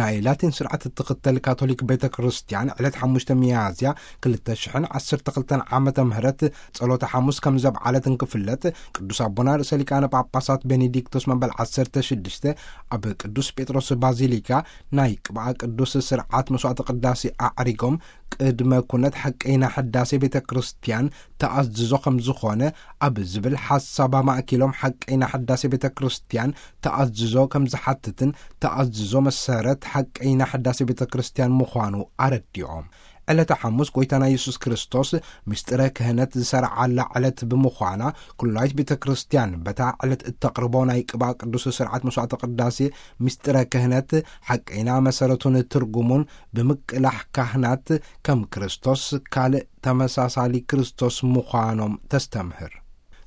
ናይ ላቲን ስርዓት እትኽተል ካቶሊክ ቤተ ክርስቲያን ዕለት ሓሙሽተ ሚያዝያ ክልተ ሽሕን ዓሰርተ ክልተን ዓመተ ምህረት ጸሎተ ሓሙስ ከም ዘብዓለት እንክፍለጥ፣ ቅዱስ ኣቦና ርእሰ ሊቃነ ጳጳሳት ቤኔዲክቶስ መበል ዓሰርተ ሽዱሽተ ኣብ ቅዱስ ጴጥሮስ ባዚሊካ ናይ ቅብኣ ቅዱስ ስርዓት መስዋዕተ ቅዳሴ ኣዕሪጎም፣ ቅድመ ኩነት ሓቀይና ሕዳሴ ቤተ ክርስቲያን ተኣዝዞ ከም ዝኾነ ኣብ ዝብል ሓሳብ ኣማእኪሎም፣ ሓቀይና ሕዳሴ ቤተ ክርስቲያን ተኣዝዞ ከም ዝሓትትን ተኣዝዞ መሰረት ሓቀይና ሕዳሴ ቤተ ክርስቲያን ምዃኑ ኣረዲኦም። ዕለተ ሓሙስ ጎይታና የሱስ ክርስቶስ ምስጢረ ክህነት ዝሰርዓላ ዕለት ብምዃና፣ ኩላይት ቤተ ክርስቲያን በታ ዕለት እተቕርቦ ናይ ቅብኣ ቅዱስ ስርዓት መስዋዕተ ቅዳሴ ምስጢረ ክህነት ሓቀይና መሰረቱን ትርጉሙን ብምቅላሕ፣ ካህናት ከም ክርስቶስ ካልእ ተመሳሳሊ ክርስቶስ ምዃኖም ተስተምህር።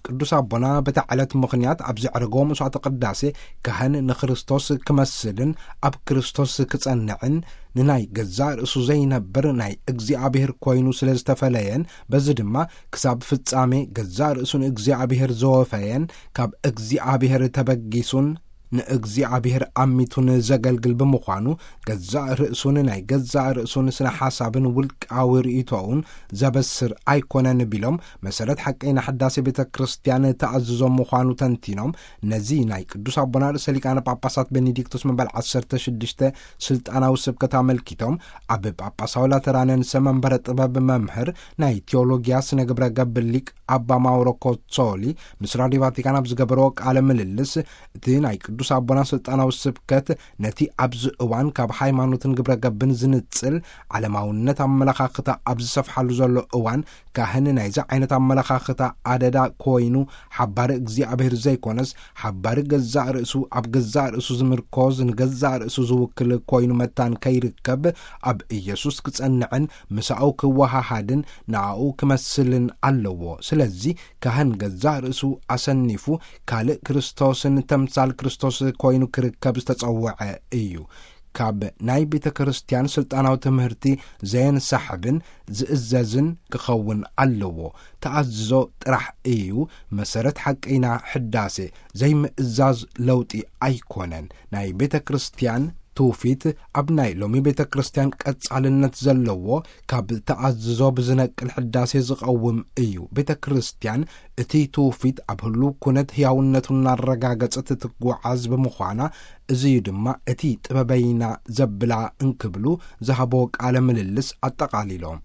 ቅዱስ ኣቦና በታ ዕለት ምኽንያት ኣብ ዘዕረጎ መስዋዕተ ቅዳሴ፣ ካህን ንክርስቶስ ክመስልን ኣብ ክርስቶስ ክጸንዕን፣ ንናይ ገዛእ ርእሱ ዘይነብር ናይ እግዚኣብሔር ኮይኑ ስለ ዝተፈለየን፣ በዚ ድማ ክሳብ ፍጻሜ ገዛእ ርእሱ ንእግዚኣብሔር ዘወፈየን፣ ካብ እግዚኣብሔር ተበጊሱን ንእግዚኣብሔር ኣሚቱን ዘገልግል ብምዃኑ፣ ገዛእ ርእሱን ናይ ገዛእ ርእሱን ስነ ሓሳብን ውልቃዊ ርእይቶኡን ዘበስር ኣይኮነን ቢሎም፣ መሰረት ሓቀይና ሕዳሴ ቤተ ክርስቲያን ተኣዝዞ ምዃኑ ተንቲኖም፣ ነዚ ናይ ቅዱስ ኣቦና ርእሰ ሊቃነ ጳጳሳት ቤኔዲክቶስ መበል ዓሰርተ ሽዱሽተ ስልጣናዊ ስብከት ኣመልኪቶም፣ ኣብ ጳጳሳዊ ላተራንያን ሰመንበረ ጥበብ መምህር ናይ ቴዎሎጊያ ስነ ግብረ ገብ ሊቅ ኣባ ማውሮ ኮሶሊ ምስ ራዲዮ ቫቲካን ኣብ ዝገበርዎ ቃለ ምልልስ፣ እቲ ናይ ቅዱስ ኣቦና ስልጣናዊ ስብከት ነቲ ኣብዚ እዋን ካብ ሃይማኖትን ግብረ ገብን ዝንጽል ዓለማውነት ኣመለኻኽታ ኣብ ዝሰፍሓሉ ዘሎ እዋን፣ ካህን ናይዚ ዓይነት ኣመለኻኽታ ኣደዳ ኮይኑ፣ ሓባሪ እግዚኣብሔር ዘይኮነስ፣ ሓባሪ ገዛእ ርእሱ፣ ኣብ ገዛእ ርእሱ ዝምርኮዝ፣ ንገዛእ ርእሱ ዝውክል ኮይኑ መታን ከይርከብ፣ ኣብ ኢየሱስ ክጸንዕን ምሳኡ ክወሃሃድን ንኣኡ ክመስልን ኣለዎ። ስለዚ ካህን ገዛእ ርእሱ ኣሰኒፉ ካልእ ክርስቶስን ተምሳል ክርስቶስ ኮይኑ ክርከብ ዝተጸውዐ እዩ። ካብ ናይ ቤተ ክርስቲያን ስልጣናዊ ትምህርቲ ዘየንሳሕብን ዝእዘዝን ክኸውን ኣለዎ። ተኣዝዞ ጥራሕ እዩ መሰረት ሓቀይና ሕዳሴ። ዘይምእዛዝ ለውጢ ኣይኮነን። ናይ ቤተ ክርስቲያን ትውፊት ኣብ ናይ ሎሚ ቤተ ክርስቲያን ቀጻልነት ዘለዎ፣ ካብ ተኣዝዞ ብዝነቅል ሕዳሴ ዝቐውም እዩ። ቤተ ክርስቲያን እቲ ትውፊት ኣብ ህሉው ኩነት ህያውነቱ እናረጋገጸት ትጓዓዝ ብምዃና፣ እዚ እዩ ድማ እቲ ጥበበይና ዘብላ እንክብሉ ዝሃቦ ቃለ ምልልስ ኣጠቓሊሎም።